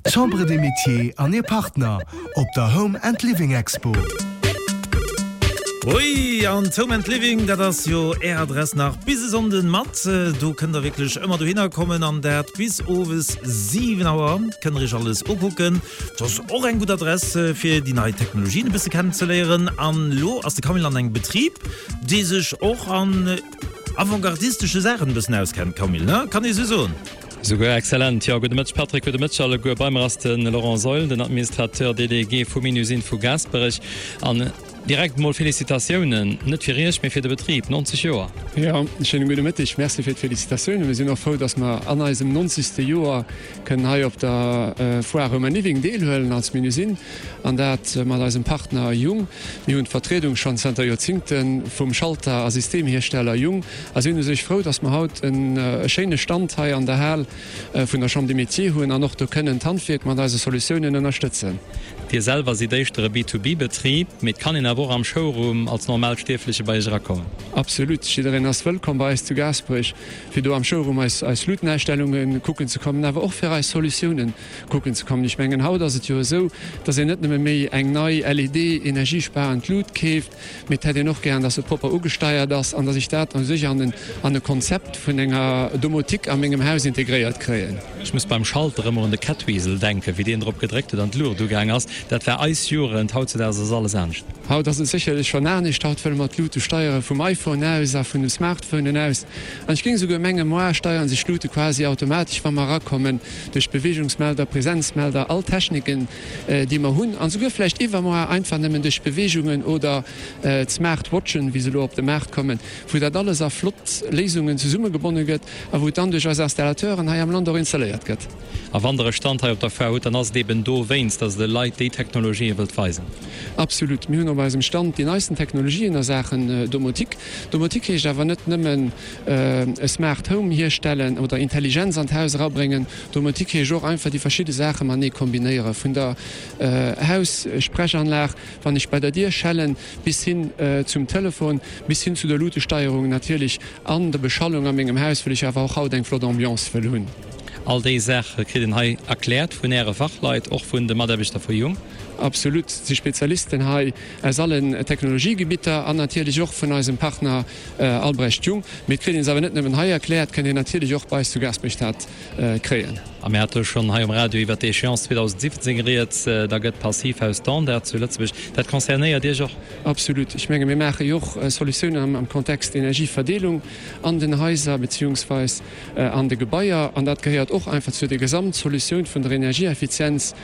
D'Chambre des Métiers an hir Partner op der Home and Living Expo. Ui, an d'Home and Living, dat ass jo Är Adress nach bis e Sonnden mat. Do kënnt der wierklech ëmmer dohinner kommen an dat bis owes 7 Auer. Kënnt der iech alles ukucken. Dat ass och eng gutt Adress fir déi nei Technologien e bësse kennenzeléieren. An elo ass de Camille an engem Betrib, dee sech och an avantgardistesche Saachen e bëssen auskennt. Camille, ne? Kann ee sou soen? Souguer excellent, jo. Gudde Mëtteg Patrick, gudde Mëtteg alleguer. Bei mer ass de Laurent Seul, den Administrateur délégué vum Minusine vu Gaasperech. An direkt emol Félicitatiounen, net fir Iech, mee fir de Betrib, 90 Joer. Jo, schéine gudde Mëtteg. Merci fir d'Félicitatiounen. Mir sinn och frou, dass mer an eisem 90. Joer kënnen hei op der Foire Home and Living deelhuelen als Minusine, an dat mat eisem Partner Jung. Mir hunn d'Vertriedung schonn zanter Joerzingte vum Schalter a Systemhiersteller Jung a sinn u sech frou, dass mer haut e schéine Stand hei an der Hal vun der Chambre des Métiers hunn an och do kënnen d'Handwierk mat eise Solutiounen ënnerstëtzen. Dir selwer sidd éischter e B2B-Betrib, mee et kann een awer och am Showroom als Normalstierfleche bei Iech erakommen? Absolut, jiddereen ass wëllkomm bei eis zu Gaasperech, fir do am Showroom eis eis Luutenausstellunge kucken ze kommen, awer och fir eis Solutiounen kucken ze kommen. Ech mengen, haut ass et jo esou, dass een net nëmme méi eng nei LED-energiesparend Lut keeft, Mee et hätt een och gären, dass se propper ugesteiert ass an dass ech dat u sech an e Konzept vun enger Domotik a mengem Haus integréiert kréien. Ech muss beim Schalter ëmmer un de Catweasel denken, wéi deen drop gedréckt huet an d'Luucht ugaang ass. Dat war eis Jugend. Hautzedaags ass alles anescht. Haut ass et sécherlech schonn anescht. Haut wëlle mer d'Luute steiere vum iPhone aus a vun de Smartphonen aus. An ech géing esouguer mengen, moar steiere sech d'Luute quasi automatesch, wa mer erakommen, duerch Beweegungsmelder, Präsenzmelder, all Techniken, déi mer hunn, an esouguer vläicht iwwermoar einfach nëmmen duerch Beweegungen oder d'Smart Watchen, wéi se elo op de Maart kommen, wou dat alles a flott Léisungen zesummegebonne gëtt a wou et dann duerch eis Installateuren hei am Land och installéiert gëtt. A wann Der e Stand hei op der Foire hutt, dann ass et eben dowéinst, dass Der de Leit déi Technologië wëllt weisen. Absolut. Mir hunn op eisem Stand déi neisten Technologien a Saachen Domotik. Domotik heescht awer net nëmmen e Smart Home hierstellen oder Intelligenz an d'Haus erabréngen. Domotik heescht och einfach déi verschidde Saache matenee kombinéieren, vun der Haussprechanlag, wann ech bei der Dier schellen, bis hin zum Telefon, bis hin zu der Luutesteierung natierlech an der Beschallung a mengem Haus, wëll ech awer och haut eng flott Ambiance wëll hunn. All déi Saache kritt een hei erkläert vun Äre Fachleit, och vun de Mataarbechter vu Jung? Absolut, et si Spezialisten hei aus allen Technologiegebitter an natierlech och vun eisem Partner Albrecht Jung. Mee et kritt een se awer net nëmmen hei erkläert, kënnt een natierlech och bei eis zu Gaasperech-Stad kréien. A mir hate schonn hei um Radio iwwert d'Échéance 2017 rieds, da gëtt Passivhaus Standard zu Lëtzebuerg. Dat concernéiert Iech och? Absolut. Ech menge mir maache jo och Solutiounen am Kontext Energieverdeelung an den Haiser beziehungsweis an de Gebaier. An dat gehéiert och einfach zu der Gesamtsolutioun vun der Energieeffizienz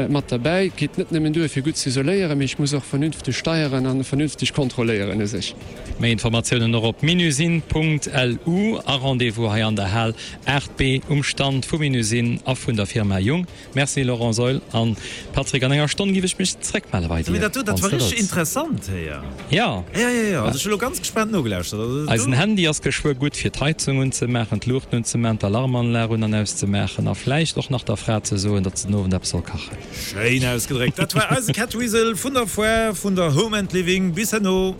mat derbäi. Et geet net nëmmen duer fir gutt ze isoléieren, mee ech muss och vernünfteg steieren a vernünfteg kontrolléieren u sech. Méi Informatiounen och op minusine.lu a Rendez-vous hei an der Hal 8B um Stand vu Minusine a vun der Firma Jung. Merci Laurent Seul an Patrick. An enger Stonn giff ech mech zréckmelle bei dir, Dat war richteg interessant héier. Jo. Jo, jo, jo. Also ech hu lo ganz gespaant nogelauschtert. Also do. Eisen Handy ass geschwë gutt fir d'Heizung unzemaachen, d'Luuchten unzemaachen, d'Alarmanlag un an auszemaachen a vläicht och nach der Fra ze soen, datt se den Owend eppes soll kachen. Schéin ausgedréckt. Dat war eise Catweasel vun der Foire vun der Home and Living. Bis herno.